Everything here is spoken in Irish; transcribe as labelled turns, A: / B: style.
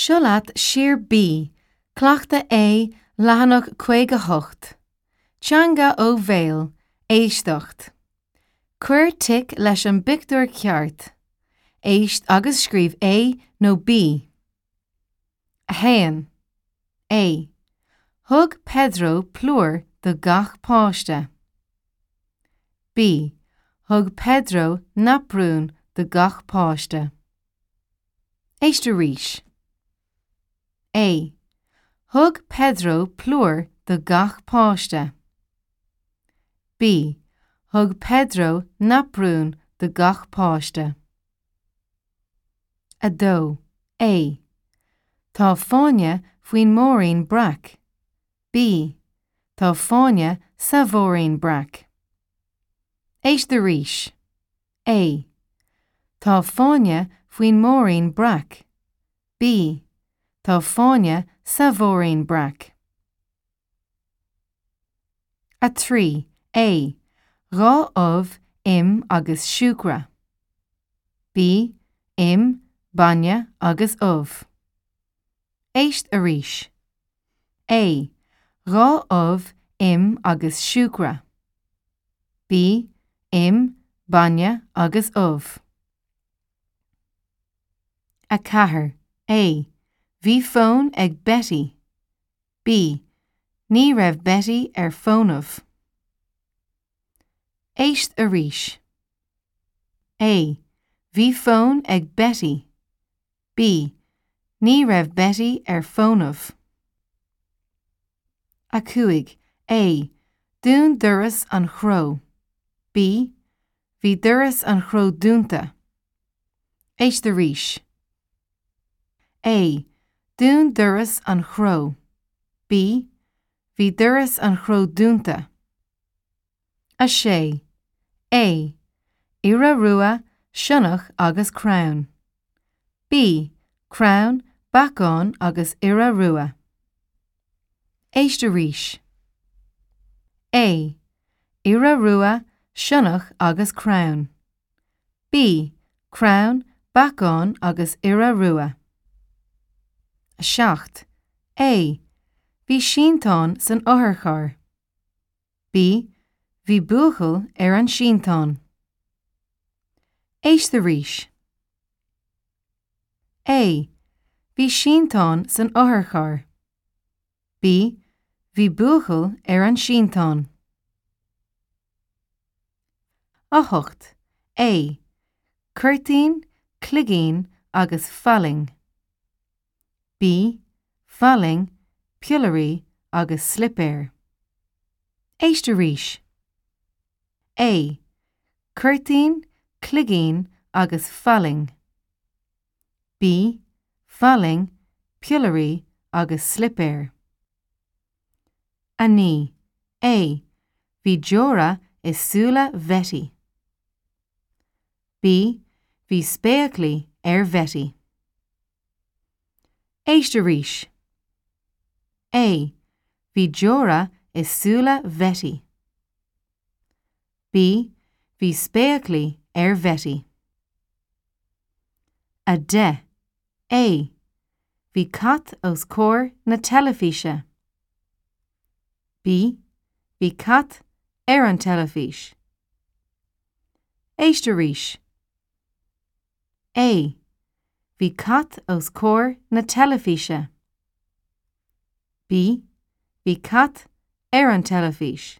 A: Seo leat Sir B, Cleachtadh A, leathanach 58. Teanga ó bhéal, éisteacht. Cuir tic leis an bpictiúr ceart. Éist agus scríobh A nó B. 1. A. Thug Pedro plúr do gach páiste. B. Thug Pedro naprún do gach páiste. Éist arís. A. Thug Pedro plúr do gach páiste. B. Thug Pedro naprún do gach páiste. 2. A. Tá fáinne faoin múirín breac. B. Tá fáinne sa mhúirín breac. Éist arís. A. Tá fáinne faoin múirín breac. B. Tá fáinne sa mhúirín breac. 3. A. 2 ubh, im agus siúcra. B. Im, bainne agus ubh. Éist arís. A. 2 ubh, im agus siúcra. B. Im, bainne agus ubh. 4. A. Bhí fón ag Betty. B. Ní raibh Betty ar fónamh. Éist arís. A. Bhí fón ag Betty. B. Ní raibh Betty ar fónamh. 5. A. Dún doras an chró. B. Bhí doras an chró dúnta. Éist arís. A. Dún doras an chró. B. Bhí doras an chró dúnta. 6. A. Iora rua, sionnach agus crann. B. Crann, beacán agus iora rua. Éist arís. A. Iora rua, sionnach agus crann. B. Crann, beacán agus iora rua. 7. A. Bhí sínteán san otharcharr. B. Bhí buachaill ar an sínteán. Éist arís. A. Bhí sínteán san otharcharr. B. Bhí buachaill ar an sínteán. 8. A. Cuirtín, cloigín agus fallaing. B. Fallaing, piollairí agus slipéir. Éist arís. A. Cuirtín, cloigín agus fallaing. B. Fallaing, piollairí agus slipéir. 9. A. Bhí deora i súile Bhetty. B. Bhí spéaclaí ar Bhetty. Éist arís. A. Bhí deora i súile Bhetty. B. Bhí spéaclaí ar Bhetty. 10. A. Bhí cat os comhair na teilifíse. B. Bhí cat ar an teilifís. Éist arís. A. Bhí cat os comhair na teilifíse. B. Bhí cat ar an teilifís.